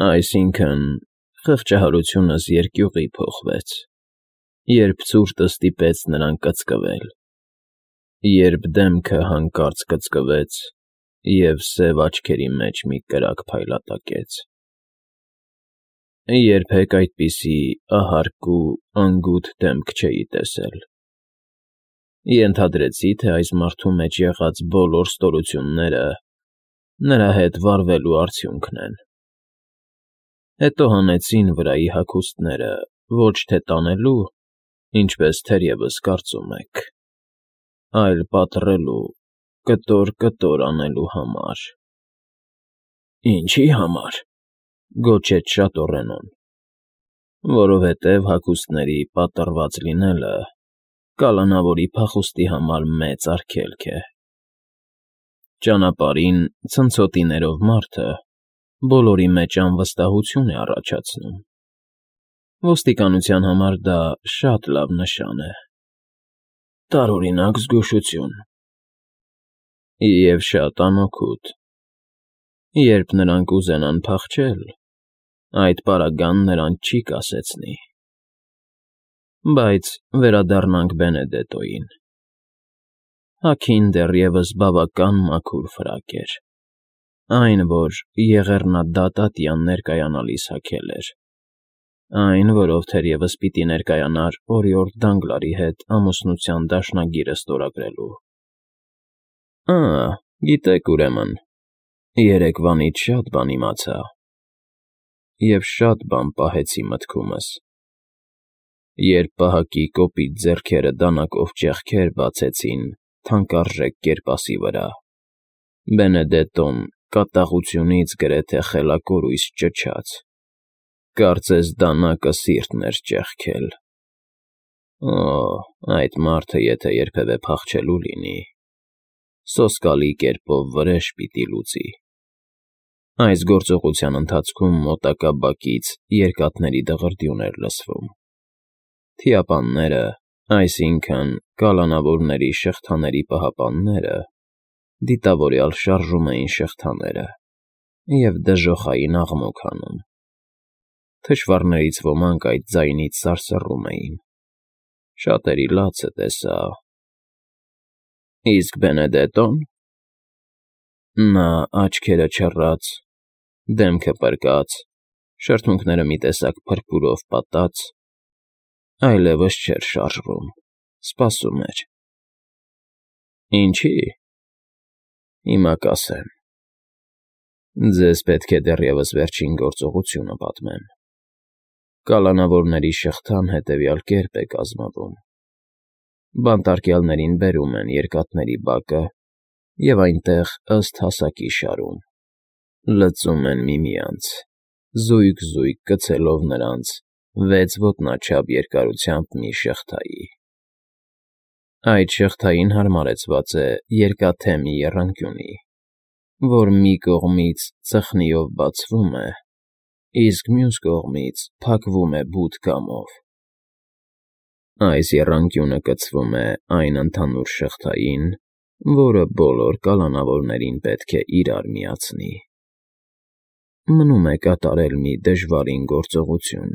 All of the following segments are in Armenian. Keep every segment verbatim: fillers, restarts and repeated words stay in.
Այսինքն՝ խղճահարությունս երկյուղի փոխվեց, երբ ցուրտը ստիպեց նրան կծկվել, երբ դեմքը հանկարծ կծկվեց, և սև աչքերի մեջ մի կրակ փայլատակեց… Երբեք այդպիսի ահարկ ու անգութ դեմք չէի տեսել… Ենթադրեցի, թե այս մարդու մեջ եղած բոլոր ստորությունները նրա հետ վարվելու արդյունքն են… Հետո հանեցին վրայի հագուստները ոչ թե տանելու, ինչպես թերևս կարծում եք, այլ պատռելու, կտոր֊կտոր անելու համար… ֊ Ինչի՞ համար,֊ գոչեց շատ ուռենուն,֊ որովհետև հագուստների պատռված լինելը կալանավորի փախուստի համար մեծ արգելք է… Ճանապարհին ցնցոտիներով մարդը բոլորի մեջ անվստահություն է առաջացնում… Ոստիկանության համար դա շատ լավ նշան է… Տարօրինակ զգուշություն… Եվ շատ անօգուտ… Երբ նրանք ուզենան փախչել, այդ պարագան նրանց չի կասեցնի… Բայց վերադառնանք Բենեդետոյին… Հագին դեռևս բավական մաքուր ֆրակ էր, այն, որ եղեռնադատ ներկայանալիս հագել էր, այն, որով թերևս պիտի ներկայանար օրիորդ Դանգլարի հետ ամուսնության դաշնագիրը ստորագրելու… Ա՜, գիտեք, ուրեմն, երեկվանից շատ բան իմացա… Եվ շատ բան պահեցի մտքումս… Երբ պահակի կոպիտ ձեռքերը դանակով ճեղքեր բացեցին թանկարժեք կերպասի վրա, Բենեդետոն կատաղությունից գրեթե խելակորույս ճչաց, կարծես դանակը սիրտն էր ճեղքել… Օ՜, այդ մարդը եթե երբևէ փախչելու լինի, սոսկալի կերպով վրեժ պիտի լուծի… Այս գործողության ընթացքում մոտակա բակից երկաթների դղրդյուն էր լսվում… Թիապանները, այսինքն՝ կալանավորների շղթաների պահապանները, դիտավորյալ շարժում էին շղթաները և դժոխային աղմուկ հանում… Թշվառներից ոմանք այդ ձայնից սարսռում էին… Շատերի լացը տեսա… ֊ Իսկ Բենեդետո՞ն… Նա աչքերը չռած, դեմքը պրկած, շրթունքները մի տեսակ փրփուրով պատած, այլևս չէր շարժվում, սպասում էր… Ինչի՞… Հիմա կասեմ… Ձեզ պետք է դեռևս վերջին գործողությունը պատմեմ… Կալանավորների շղթան հետևյալ կերպ է կազմվում. Բանտարկյալներին բերում են երկաթների բակը և այնտեղ ըստ հասակի շարում, լծում են միմյանց, զույգ֊զույգ կցելով նրանց վեց ոտնաչափ երկարությամբ մի շղթայի… Այդ շղթային հարմարեցված է երկաթե մի եռանկյունի, որ մի կողմից ծխնիով բացվում է, իսկ մյուս կողմից փակվում է բութ կամով… Այս եռանկյունը կցվում է այն ընդհանուր շղթային, որը բոլոր կալանավորներին պետք է իրար միացնի… Մնում է կատարել մի դժվարին գործողություն,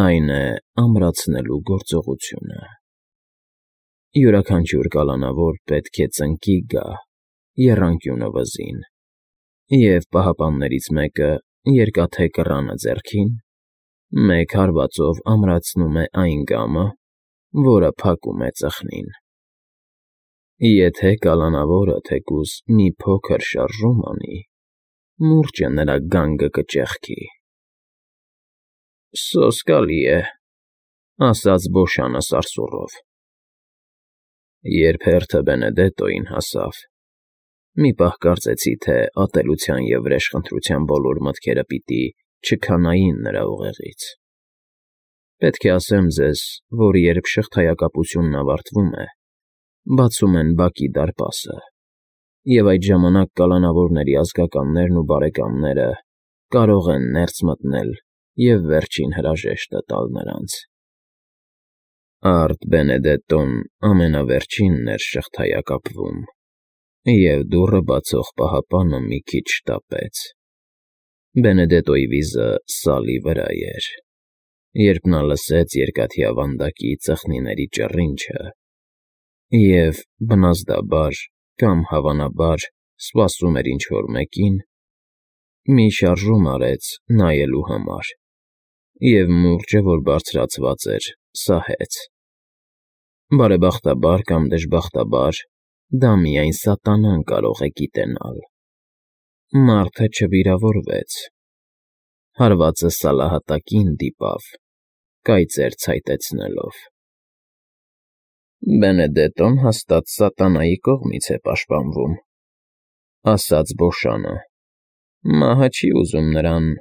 այն է՝ ամրացնելու գործողությունը… Յուրաքանչյուր կալանավոր պետք է ծնկի գա, եռանկյունը վզին, և պահապաններից մեկը, երկաթե կռանը ձեռքին, մեկ հարվածով ամրացնում է այն գամը, որը փակում է ծխնին… Եթե կալանավորը թեկուզ մի փոքր շարժում անի, մուրճը նրա գանգը կճեղքի… ֊ Սոսկալի է,֊ ասաց Բոշանը սարսուռով… Երբ հերթը Բենեդետոյին հասավ, մի պահ կարծեցի, թե ատելության և վրեժխնդրության բոլոր մտքերը պիտի չքանային նրա ուղեղից… Պետք է ասեմ ձեզ, որ երբ շղթայակապությունն ավարտվում է, բացում են բակի դարպասը, և այդ ժամանակ կալանավորների ազգականներն ու բարեկամները կարող են ներս մտնել և վերջին հրաժեշտը տալ նրանց… Արդ Բենեդետոն ամենավերջինն էր շղթայակապվում, և դուռը բացող պահապանը մի քիչ շտապեց… Բենեդետոյի վիզը սալի վրա էր, երբ նա լսեց երկաթյա վանդակի ծխնիների ճռինչը և, բնազդաբար կամ հավանաբար, սպասում էր ինչ֊որ մեկին, մի շարժում արեց նայելու համար և մուրճը, որ բարձրացված էր, սահեց։ Բարեբախտաբար կամ դժբախտաբար, դա միայն սատանան կարող է գիտենալ։ Մարդը չվիրավորվեց։ Հարվածը սալահատակին դիպավ, կայծեր ցայտեցնելով։ «Բենեդետոն հաստատ սատանայի կողմից է պաշտպանվում,֊ ասաց Բոշանը,֊ մահը չի ուզում նրան…»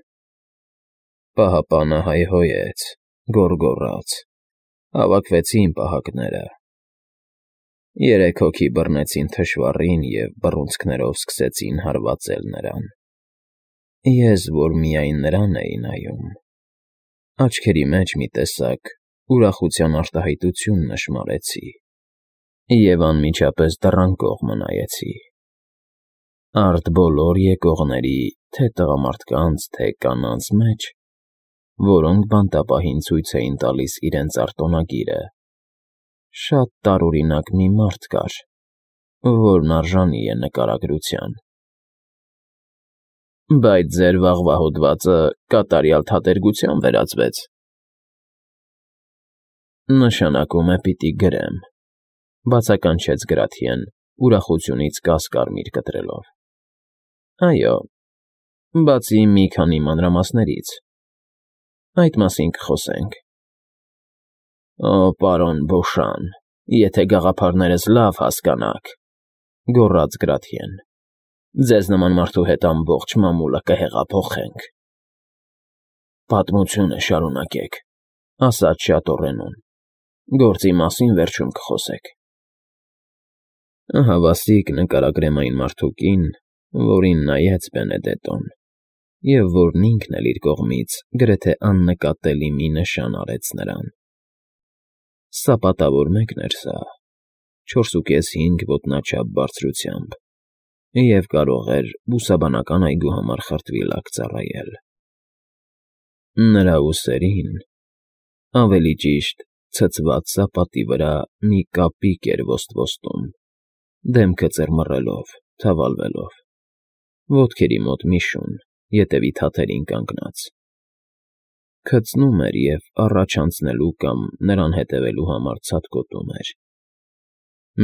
Պահապանը հայհոյեց, գոռգոռաց, հավաքվեցին պահակները։ Երեք հոգի բռնեցին թշվառին և բռունցքներով սկսեցին հարվածել նրան։ Ես, որ միայն նրան էի նայում, աչքերի մեջ մի տեսակ ուրախության արտահայտություն նշմարեցի և անմիջապես դռան կողմը նայեցի։ Արդ բոլոր եկողների, թե տղամարդկանց, թե կանանց մեջ, որոնք բանտապահին ցույց էին տալիս իրենց արտոնագիրը, շատ տարօրինակ մի մարդ կար, որն արժանի է նկարագրության։ «Բայց ձեր վաղվա հոդվածը կատարյալ թատերգության վերածվեց,֊ Նշանակում է պիտի գրեմ,֊ բացականչեց Գրաթիեն ուրախությունից կասկարմիր կտրելով։ Այո, բացի մի քանի մանրամասներից։ Այդ մասին կխոսենք։ Օ, պարոն Բոշան, եթե գաղափարներս լավ հասկանաք,֊ գոռաց Գրաթիեն,֊ ձեզ նման մարդու հետ ամբողջ մամուլը կհեղափոխենք։ Պատմությունը շարունակեք,֊ ասաց շատորենուն,֊ գործի մասին վերջում կխոսեք։ Ահավասիկ նկարագրեմ այն մարդուկին, որին նայեց Բենեդետոն, և որն ինքն էլ իր կողմից գրեթե աննկատելի մի նշան արեց նրան։ Սապատավոր մեկն էր սա, չորսուկես֊հինգ ոտնաչափ բարձրությամբ, և կարող էր բուսաբանական այգու համար խրտվիլակ ծառայել։ Նրա ուսերին, ավելի ճիշտ, ցցված սապատի վրա մի կապիկ էր ոստվոստում, դեմքը ծռմռելով, թավալվելով, ոտքերի մոտ մի շուն, ետևի թաթերին կանգնած։ Քծնում էր և առաջ անցնելու կամ նրան հետևելու համար ցատկոտում էր։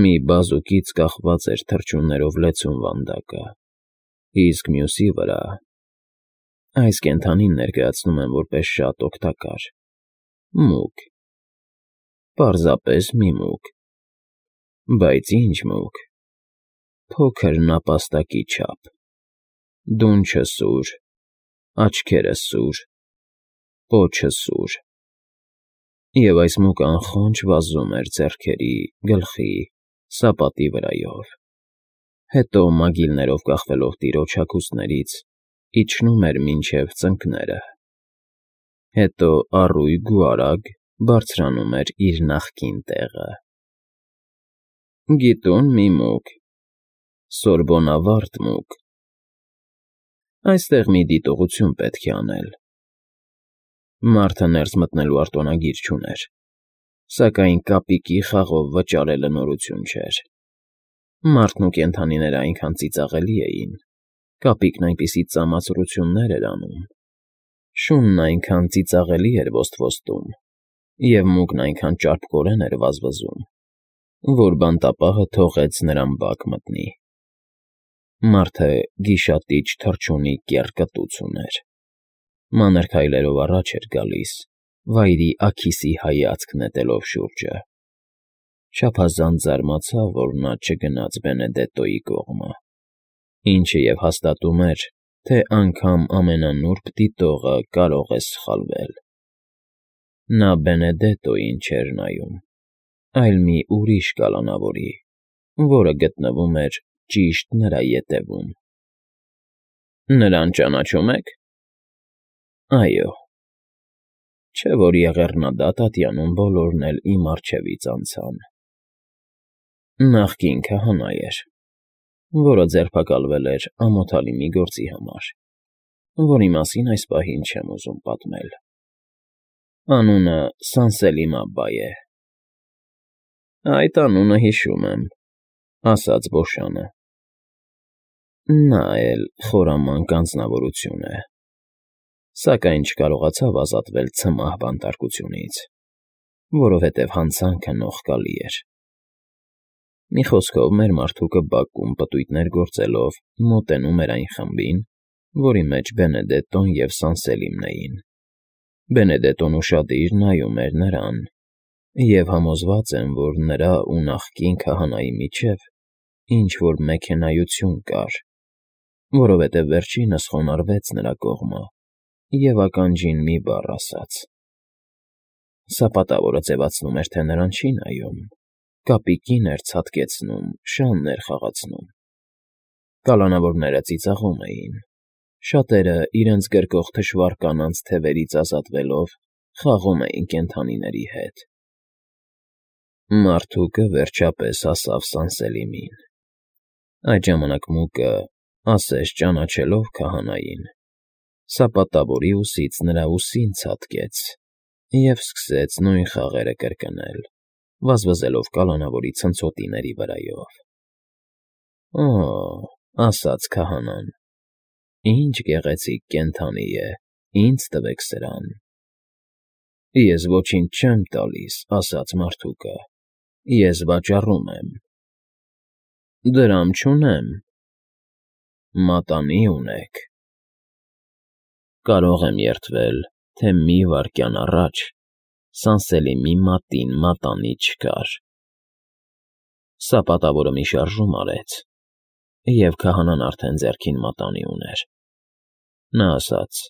Մի բազուկից կախված էր թռչուններով լեցուն վանդակը, իսկ մյուսի վրա… Այս կենդանին ներկայացնում եմ որպես շատ օգտակար, մուգ, պարզապես մի մուգ, բայց ինչ մուգ… Փոքր նապաստակի չափ, դունչը սուր, աչքերը սուր, պոչը սուր, և այս մուգ անխոնջ վազում էր ձեռքերի, գլխի, սապատի վրայով, հետո մագիլներով կախվելով տիրոջ հագուստներից, իջնում էր մինչև ծնկները, հետո առույգ ու արագ բարձրանում էր իր նախկին տեղը։ Գիտուն մի մուգ, սորբոնավարտ մուգ։ Այստեղ մի դիտողություն պետք է անել։ Մարդը ներս մտնելու արտոնագիր չուներ, սակայն կապիկի խաղով վճարելը նորություն չէր։ Մարդն ու կենդանիները այնքան ծիծաղելի էին, կապիկն այնպիսի ծամացրություններ էր անում, շունն այնքան ծիծաղելի էր ոստվոստում, և մուգն այնքան ճարպկորեն էր վազվզում, որ բանտապահը թողեց նրան բակ մտնի։ Մարդը գիշատիչ թռչունի կեռ կտուց ուներ, մանր քայլերով առաջ էր գալիս, վայրի աքիսի հայացք նետելով շուրջը։ Չափազանց զարմացավ, որ նա չգնաց Բենեդետոյի կողմը, ինչը և հաստատում էր, թե անգամ ամենանուրբ դիտողը կարող է սխալվել։ Նա Բենեդետոյին չէր նայում, այլ մի ուրիշ կալանավորի, որը գտնվում էր ճիշտ նրա ետևում։ Նրան ճանաչո՞ւմ եք։ Այո։ Չէ՞ որ եղեռնադատ ատյանում բոլորն էլ իմ առջևից անցան։ Նախկին քահանա էր, որը ձերբակալվել էր ամոթալի մի գործի համար, որի մասին այս պահին չեմ ուզում պատմել։ Անունը Սանսելիմաբա է։ Այդ անունը հիշում եմ, ասաց Բոշանը։ Նա էլ խորամանկ անձնավորություն է, սակայն չկարողացավ ազատվել ցմահ բանտարկությունից, որովհետև հանցանքը նողկալի էր։ Մի խոսքով, մեր մարդուկը բակում պտույտներ գործելով մոտենում էր այն խմբին, որի մեջ Բենեդետտոն և Սանսելիմն էին։ Բենեդետտոն ուշադիր նայում էր նրան, և համոզված եմ, որ նրա ու նախկին քահանայի միջև ինչ֊որ մեքենայություն կար, որովհետև վերջինս խոնարհվեց նրա կողմը և ականջին մի բառ ասաց։ Սա պատավորը ձևացնում էր, թե նրան չի նայում, կապիկին էր ցատկեցնում, շանն էր խաղացնում։ Կալանավորները ծիծաղում էին, շատերը, իրենց գրկող թշվառ կանանց թևերից ազատվելով, խաղում էին կենդանիների հետ։ Մարդուկը վերջապես հասավ Սանսելիմին։ Այդ ժամանակ մուկը, ասես ճանաչելով քահանային, սապատավորի ուսից նրա ուսին ցատկեց և սկսեց նույն խաղերը կրկնել, վազվզելով կալանավորի ցնցոտիների վրայով։ Օ՜, ասաց քահանան, ինչ գեղեցիկ կենդանի է, ինձ տվեք սրան։ Ես ոչինչ չեմ տալիս, ասաց մարդուկը, ես վաճառում եմ։ Դրամ չունեմ։ Մատանի ունեք։ Կարող եմ երդվել, թե մի վայրկյան առաջ Սանսելիմի մատին մատանի չկար։ Սապատավորը մի շարժում արեց, և քահանան արդեն ձեռքին մատանի ուներ։ Նա ասաց.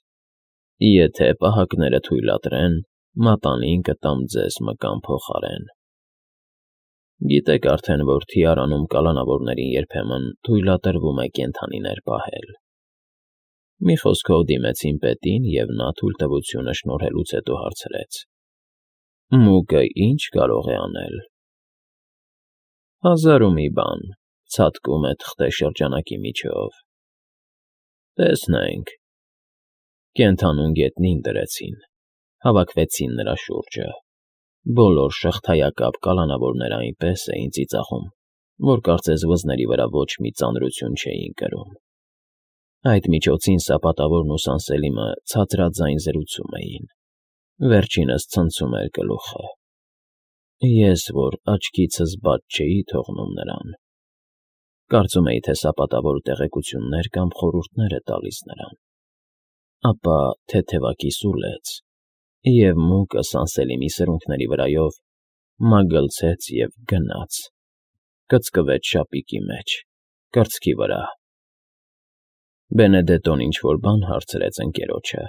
«Եթե պահակները թույլատրեն, մատանին կտամ ձեզ մկան փոխարեն»։ Գիտեք արդեն, որ Թիարանում կալանավորներին երբեմն թույլատրվում է կենդանիներ պահել։ Մի խոսքով դիմեցին պետին, և նա թույլտվությունը շնորհելուց հետո հարցրեց. «Մուկը ի՞նչ կարող է անել»։ Հազար ու մի բան, ցատկում է թղթե շրջանակի միջով։ Տեսնենք։ Կենդանուն գետնին դրեցին, հավաքվեցին նրա շուրջը։ Բոլոր շղթայակապ կալանավորները այնպես էին ծիծաղում, որ կարծես վզների վրա ոչ մի ծանրություն չէին կրում։ Այդ միջոցին սապատավորն ու Սանսելիմը ցածրաձայն զրուցում էին։ Վերջինս ցնցում էր գլուխը։ Ես, որ աչքիցս բաց չէի թողնում նրան, կարծում էի, թե սապատավորը տեղեկություններ կամ խորհուրդներ է տալիս նրան, ապա թեթևակի սուլեց, և մուկը Սանսելիմի սրունքների վրայով մագլցեց և գնաց, կծկվեց շապիկի մեջ, կրծքի վրա։ Բենեդետտոն ինչ֊որ բան հարցրեց ընկերոջը,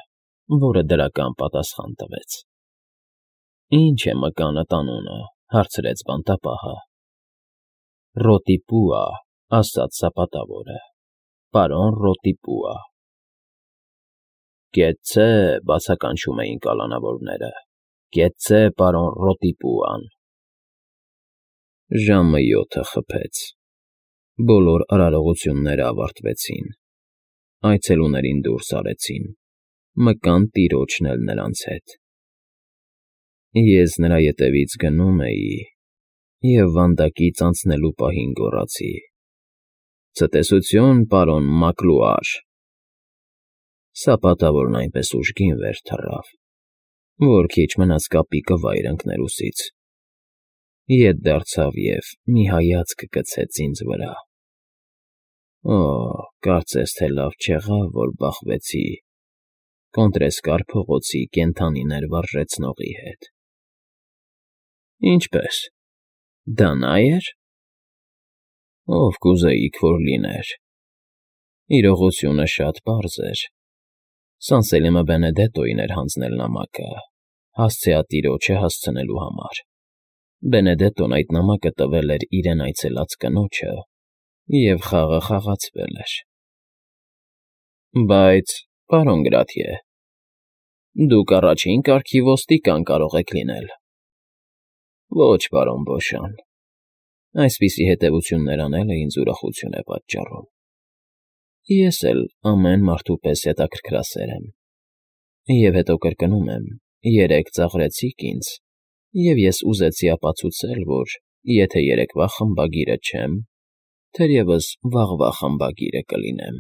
որը դրական պատասխան տվեց։ Ինչ է մկանդ անունը, հարցրեց բանտապահը։ Ռոտիպուա, ասաց սապատավորը, պարոն Ռոտիպուա։ Կեցցե, բացականչում էին կալանավորները, կեցցե, պարոն Ռոտիպուան։ Ժամը յոթը խփեց։ Բոլոր արարողությունները ավարտվեցին։ Այցելուներին դուրս արեցին, մկան տիրոջն էլ նրանց հետ։ Ես նրա ետևից գնում էի և վանդակից անցնելու պահին գոռացի. «Ցտեսություն, պարոն Մակլուար»։ Սապատավորն այնպես ուժգին վեր թռավ, որ քիչ մնաց կապիկը վայր ընկներ ուսից։ Ետ դարձավ և մի հայացք գցեց ինձ վրա։ Օ՜, կարծես թե լավ չեղավ, որ բախվեցի Կոնտրեսկար փողոցի կենդանիներ վարժեցնողի հետ։ Ինչպե՞ս, դա նա էր։ Ով կուզեիք, որ լիներ։ Իրողությունը շատ պարզ էր։ Սանսելիմը Բենեդետտոյին էր հանձնել նամակը, հասցեատիրոջը հասցնելու համար։ Բենեդետտոն այդ նամակը տվել էր իրեն այցելած կնոջը, և խաղը խաղացվել էր։ Բայց, պարոն Գրաթիե, դուք առաջին կարգի ոստիկան կարող եք լինել։ Ոչ, պարոն Բոշան, այսպիսի հետևություններ անելը ինձ ուրախություն է պատճառում։ Ես էլ ամեն մարդու պես հետաքրքրասեր եմ։ Եվ հետո կրկնում եմ, երեկ ծաղրեցիք ինձ, և ես ուզեցի ապացուցել, որ եթե երեկվա խմբագիրը չեմ, թերևս վաղվա խմբագիրը կլինեմ։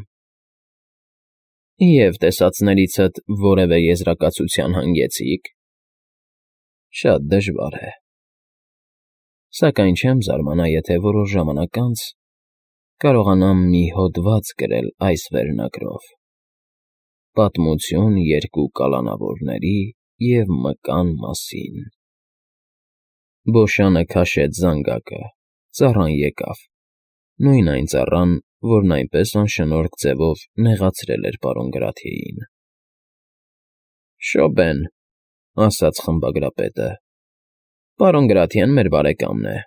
Եվ տեսածներիցդ որևէ եզրակացության հանգեցի՞ք։ Շատ դժվար է։ Սակայն չեմ զարմանա, եթե որոշ ժամանակ անց կարողանամ մի հոդված գրել այս վերնագրով. «Պատմություն երկու կալանավորների և մկան մասին»։ Բոշանը քաշեց զանգակը, ծառան եկավ, նույն այն ծառան, որն այնպես անշնորհք ձևով նեղացրել էր պարոն Գրաթիեին։ ֊ Շոբեն,֊ ասաց խմբագրապետը,֊ պարոն Գրաթիեն մեր բարեկամն է։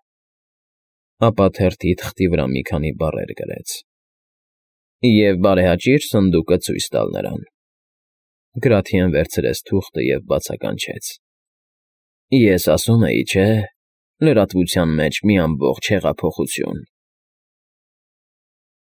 Ապա թերթի թղթի վրա մի քանի բառեր գրեց. «Եվ բարեհաճիր սնդուկը ցույց տալ նրան»։ Գրաթիեն վերցրեց թուղթը և բացականչեց. «Ես ասում էի, չէ՞, լրատվության մեջ մի ամբողջ հեղափոխություն»։